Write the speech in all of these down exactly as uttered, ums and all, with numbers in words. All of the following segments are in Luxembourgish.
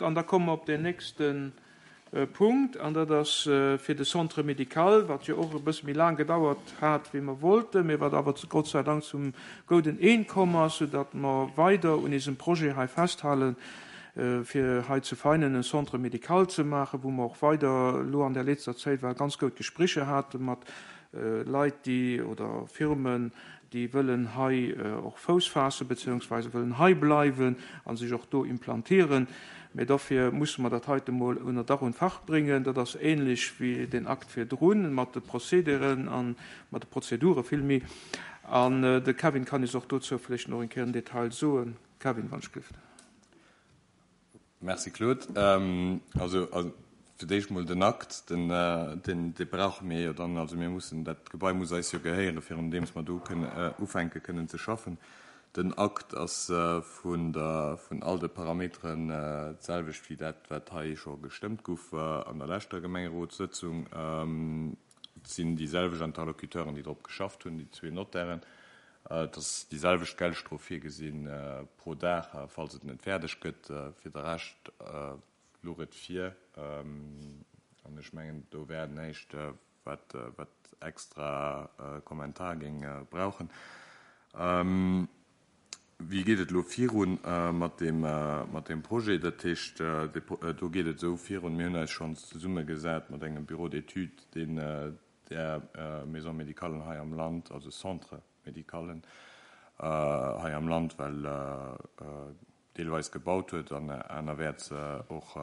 An da komme mer op deen nächste Punkt, an dat ass fir de Centre médical, wat jo och e bësse méi laang gedauert hat, wéi mer wollten, mä wat awer Gott sei Dank zum gouden Een komm ass, soudatt mer weider un eisem Projet hei festhalen, fir hei zu Veinen e Centre médical ze maachen, wou mer och weider elo an der letzter Zäit war ganz goud Gesprécher hate mat Leit, déi, oder Firmen, déi wëllen hei och Fouss faassen, beziehungsweise wëllen hei bleiwen a sech och do implantieren. Mä dofir musse mer dat heite mol ënner Dach und Fach bréngen. Dat ass ähnlech wéi den Akt virdrun, mat de Procédéren a mat de Prozedure villméi. An de Kevin kann eis och dozou vläicht nach eng Kéier en Detail soen. Kevin, wann ech gelift. Merci Claude. Also fir d'éischt mol den Akt, den, deen, dee brauche mir jo dann. Also mir mussen, dat Gebai muss eis jo gehéieren, virun deems mer do kënnen ufänke kënnen ze schaffen. Den Akt ass vun der, vun all de Parameteren d'selwecht wéi dat, wat hei scho gestëmmt gouf an der leschter Gemengerotssëtzung. Et sinn déi selwecht Interlocuteuren, déi drop geschafft hunn, déi zwee Notairen. Et ass déi selwecht Geldstrof virgesinn pro Dag, falls et net fäerdeg gëtt. Fir de Rescht louch et vir. An ech mengen, do wär näischt, wat, wat extra Kommentar géing brauchen. Wéi geet et elo virun mat deem, mat deem Projet? Dat heescht, do geet et esou virun, mir hunn eis schonns zesummegesat mat engem Bureau d'études, deen där Maison médicalen hei am Land, also Centre médicalen hei am Land, well deelweis gebaut huet an anerwäerts och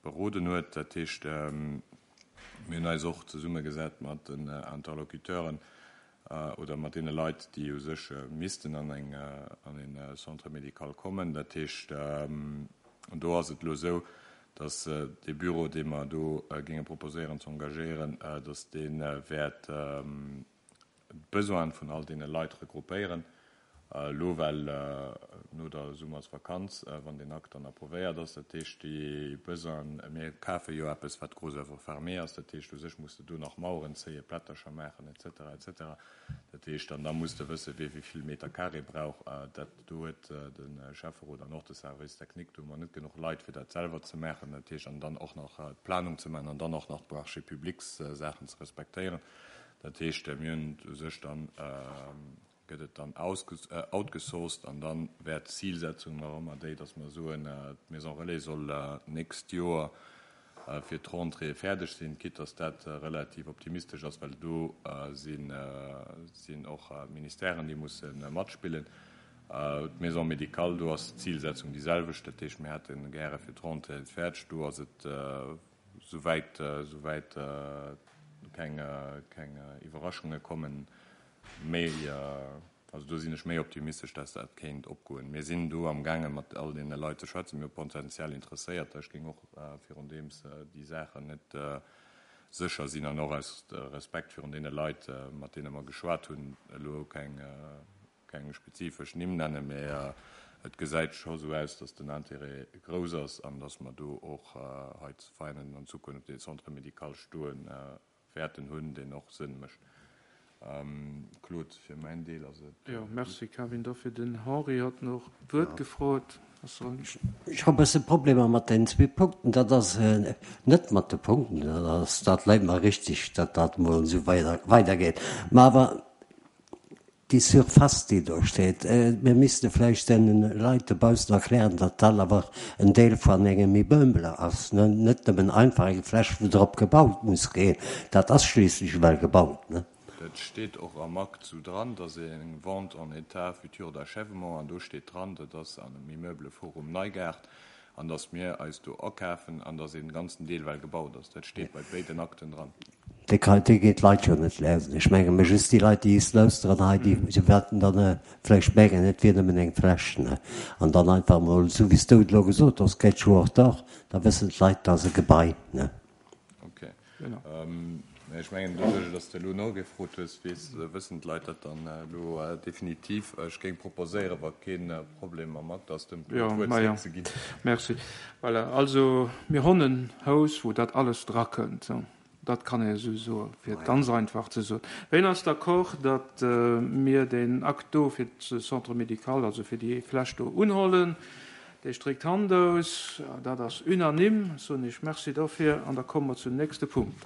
beroden huet. Dat heescht, mir hunn eis och zesummegesat mat den Interlocuteuren oder mat deene Leit, déi u sech missten an eng, an e Centre médical kommen. Dat heescht, do ass et elo esou, dass dee Büro, dee mer do géinge proposéieren ze engagéieren, dass dee wäert d'Besoine vun all deene Leit regroupéieren, elo well no der Summersvakanz, wann deen Akt dann approvéiert ass. Dat heescht, déi Besoinen, mir kafe jo eppes, wat gros œuvre fermée ass, dat heescht, u sech muss de do nach Maueren zéien, Plättercher maachen, et cetera, et cetera. Dat heescht, an da muss de wëssen, wie wéi vill Meter carré brauch. Dat do huet de Schäfferot an och de Service technique, do hu mer net genuch Leit, fir dat selwer ze maachen. Dat heescht, an dann och nach d'Planung ze maachen an dann och nach d'Marchés publics Saachen ze respektéieren. Dat heescht, mir hunn u sech dann, gëtt et dann outgesourced an dann wäert d'Zilsetzung nach ëmmer déi, dass mer soen, d'Maison Relais soll d'nächst Joer fir d'Rentrée fäerdeg sinn, quitte dass dat relativ optimistesch ass, well do sinn och d'Ministèren, déi musse matspillen. D'Maison médicale, do ass d'Zilsetzung déi selwecht, dat heescht, mir hätte gäre fir d'Rentrée fäerdeg. Do ass et souwäit, souwäit keng, keng Iwwerraschunge kommen, méi, also do sinn ech méi optimistesch, dass dat kéint opgoen. Mir sinn do amgaange mat all deene Leit ze schwätzen, mir hu potenziell Interesséierter. Ech géing och virun deems déi Saachen net sécher sinn an och aus Respekt virun deene Leit, mat deene mer geschwat hunn, elo keng, keng spezifesch Nimm nennen, mä et gesäit scho sou aus, dass den Intérêt grouss ass an dass mer do och hei zu Veianen an Zukunft dee Centre médical stoe wäerten hunn, deen och Sënn mécht. Claude, fir mäin Deel ass et. Jo, merci Kevin. Da fir den Henri hat nach d'Wuert gefrot. Ech hu e bësse Problemer mat deenen zwee Punkten. Dat ass net mat de Punkten, dat ass, dat läit mer richtig, datt dat emol esou weider weidergeet. Mä awer déi Surface, déi do steet, mir misste vläicht deene Leit dobaussen erklären, datt dat awer en Deel vun engem Immeuble ass, ne, net nëmmen einfach eng Fläch, wou drop gebaut muss ginn. Dat ass schliisslech ewell gebaut, ne. Dat steet och am Akt sou dran, dass eng Vente en état futur d'achèvement, an do steet dran, dat ass an dem Immeuble Forum Neugaart, an dass mir eis do akafen an dass een ganzen Deel well gebaut ass. Dat steet bei béiden Akten dran. Déi kann, déi ginn d'Leit jo net lesen. Ech menge mir just déi Leit, déi is lauschteren hei, déi wäerten dann vläicht mengen, et wier nëmmen eng Fläch, ne? An dann einfach emol, esou wéi s du et elo gesot hues, gëtt jo och dach, da wëssen d'Leit, dat ass e Gebai, ne? Ok. Ech mengen, doduerch, dass de elo nogefrot hues, weess, wëssen d'Leit dat dann elo definitiv. Ech géing proposéieren, wa kee Problem mam Akt ass, dem Claude d'Wuert zeréckzeginn. Merci. Voilà, also mir hunn en Haus, wou dat alles drakënnt. Dat kann ee esou soen, fir et ganz einfach ze soen. Wien ass d'accord, datt mir deen Akt do fir de Centre médical, also fir déi Fläch do unhollen? Dee stréckt d'Hand aus. Dat ass unanime. Soen ech Merci dofir an da komme mer zum nächste Punkt.